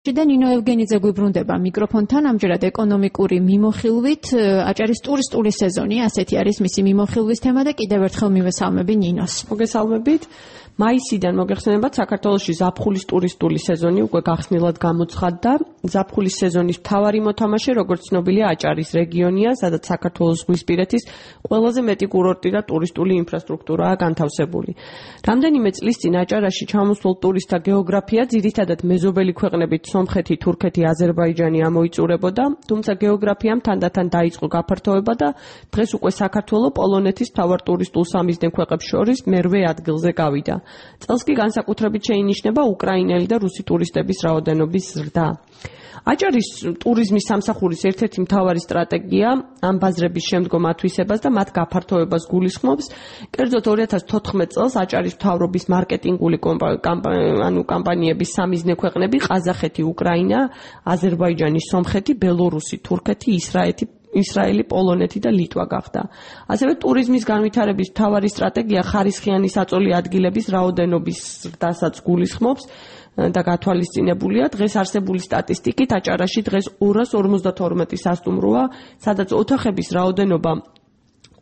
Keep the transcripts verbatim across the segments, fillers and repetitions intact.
და ნინო ევგენიძე გვიბრუნდება მიკროფონთან, ამჯერად ეკონომიკური მიმოხილვით, აჭარის ტურისტული სეზონი, ასეთი არის მისი მიმოხილვის თემა და კიდევ ერთხელ მივესალმები ნინოს. მოგესალმებით. მაისიდან მოგეხსენებათ, საქართველოში ზაფხულის ტურისტული სეზონი უკვე გახსნილად გამოცხადდა. ზაფხულის სეზონის მთავარი მოთამაშე, როგორც ცნობილია, აჭარის რეგიონია, სადაც საქართველოს ზღვისპირეთის ყველაზე მეტი კურორტი და ტურისტული ინფრასტრუქტურაა განთავსებული. რამდენიმე წლის წინ აჭარაში ჩამოსულ ტურისტთა გეოგრაფია ძირითადად მეზობელი ქვეყნებით სომხეთი, თურქეთი, აზერბაიჯანი ამოიწურებოდა, თუმცა გეოგრაფიამ თანდათან დაიწყო გაფართოება და დღეს უკვე საქართველო პოლონეთის მთავარ ტურისტულ სამიზნე ქვეყნებს შორის მერვე ადგილზე გავიდა. წელს კი განსაკუთრებით შეინიშნება უკრაინელი და რუსი ტურისტების რაოდენობის ზრდა. აჭარის ტურიზმის სამსახურის ერთ-ერთი მთავარი სტრატეგია ამ ბაზრების შემდგომ ათვისებას და მათ გაფართოებას გულისხმობს. კერძოდ ორი ათას თოთხმეტ წელს აჭარის მთავრობის მარკეტინგული ანუ კამპანიების სამიზნე ქვეყნები ყაზახეთი, უკრაინა, აზერბაიჯანი, სომხეთი, ბელორუსი, თურქეთი, ისრაეთი ისრაელი, პოლონეთი და ლიტვა გახდა. ასევე ტურიზმის განვითარების მთავარი სტრატეგია ხარისხიანი საწოლი ადგილების რაოდენობის ზრდასაც გულისხმობს და გათვალისწინებულია. დღეს არსებული სტატისტიკით აჭარაში დღეს ორას ორმოცდათორმეტი სასტუმროა, სადაც ოთახების რაოდენობა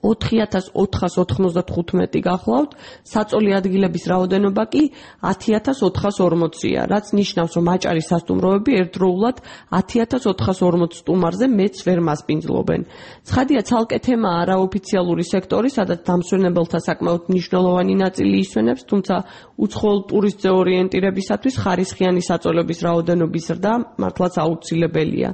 ოთხი ათას ოთხას ოთხმოცდათხუთმეტი გახლავთ, საწოლი ადგილების რაოდენობა კი ათი ათას ოთხას ორმოცია, რაც ნიშნავს, რომ აჭარის სასტუმროები ერთდროულად ათი ათას ოთხას ორმოც სტუმარზე მეც ვერ მასპინძლობენ. ცხადია, ცალკე თემაა არაოფიციალური სექტორი, სადაც დამსვენებელთა საკმაოდ მნიშვნელოვანი ნაწილი ისვენებს, თუმცა უცხოელ ტურისტზე ორიენტირებისათვის ხარისხიანი საწოლების რაოდენობის ზრდა მართლაც აუცილებელია.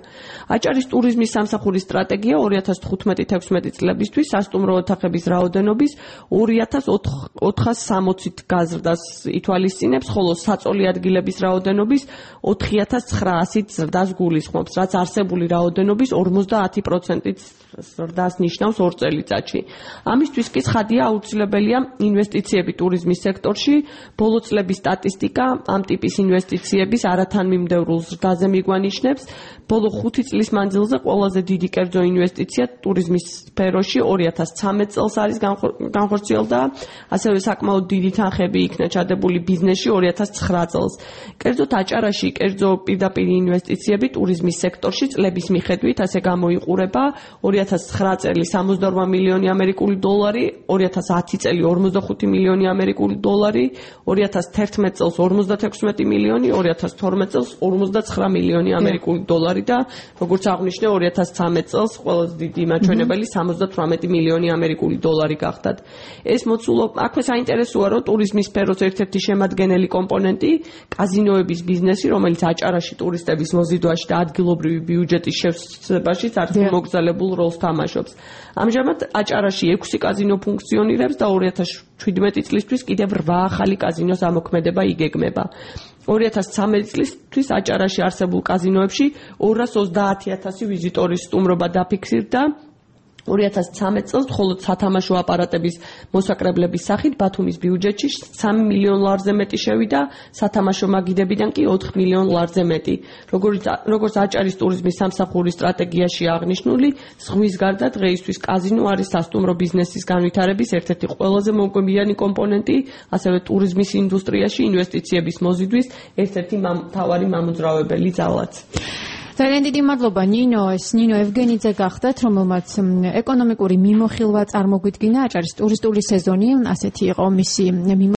აჭარის ტურიზმის სამსახურის სტრატეგია ორი ათას თხუთმეტი თექვსმეტი წლებისთვის სასტუმრო ოთახების რაოდენობის ორი ათას ოთხას სამოცით გაზრდას ითვალისწინებს, ხოლო საწოლი ადგილების რაოდენობის ოთხი ათას ცხრაასით ზრდას გულისხმობს, რაც არსებული რაოდენობის ორმოცდაათი პროცენტით ზრდას ნიშნავს ორ წელიწადში. ამისთვის კი ცხადია აუცილებელია ინვესტიციები ტურიზმის სექტორში. ბოლო წლების სტატისტიკა ამ ტიპის ინვესტიციების არათანმიმდევრულ ზრდაზე მიგვანიშნებს. ბოლო ხუთი წლის მანძილზე ყველაზე დიდი კერძო ინვესტიცია ტურიზმის სფეროში ორი ათას ცხრამეტ წელს არის განხორციელდა, ასევე საკმაოდ დიდი თანხები იქნა ჩადებული ბიზნესში ორი ათას ცხრა წელს. კერძოდ აჭარაში კერძო პირდაპირ ინვესტიციები ტურიზმის სექტორში წლების მიხედვით ასე გამოიყურება: ორი ათას ცხრა წელი სამოცდაორმა მილიონი ამერიკული დოლარი, ორი ათას ათი წელი ორმოცდახუთი მილიონი ამერიკული დოლარი, ორი ათას თერთმეტ წელს ორმოცდათექვსმეტი მილიონი, ორი ათას თორმეტ წელს ორმოცდაცხრა მილიონი ამერიკული დოლარი და როგორც აღნიშნე ორი ათას ცხრამეტ წელს ყველაზე დიდი მაჩვენებელი სამოცდათვრამეტი მილიონი ამერიკული დოლარი გახდათ. ეს მოცულობა აქვე საინტერესოა, რომ ტურიზმის სფეროს ერთ-ერთი შემადგენელი კომპონენტი კაზინოების ბიზნესი, რომელიც აჭარაში ტურისტების მოზიდვაში და ადგილობრივი ბიუჯეტის შევსებაში არცერთ მოგზალებულ როლს თამაშობს. ამჟამად აჭარაში ექვსი კაზინო ფუნქციონირებს და ორი ათას შვიდმეტი წლისთვის კიდევ რვა ახალი კაზინოს ამოქმედება იგეგმება. ორი ათას ცხრამეტი წლისთვის აჭარაში არსებულ კაზინოებში ორას ოცდაათი ათასი ვიზიტორის სტუმრობა დაფიქსირდა. ორი ათას ცხრამეტ წელს მხოლოდ სათამაშო აპარატების მოსაკრებლების სახით ბათუმის ბიუჯეტში სამი მილიონ ლარზე მეტი შევიდა, სათამაშო მაგიდებიდან კი ოთხ მილიონ ლარზე მეტი. როგორც როგორც აჭარის ტურიზმის სამსახურის სტრატეგიაში აღნიშნული, ზღვის გარდა დღეისთვის კაზინო არის სასტუმრო ბიზნესის განვითარების ერთ-ერთი ყველაზე მომგებიანი კომპონენტი, ასევე ტურიზმის ინდუსტრიაში ინვესტიციების მოზიდვის ერთ-ერთი მთავარი მამოძრავებელი ძალაც. ძალიან დიდი მადლობა ნინო, ეს ნინო ევგენიძე გახდათ, რომელმაც ეკონომიკური მიმოხილვა წარმოგვიდგინა აჭარის ტურისტული სეზონი, ასეთი იყო მისი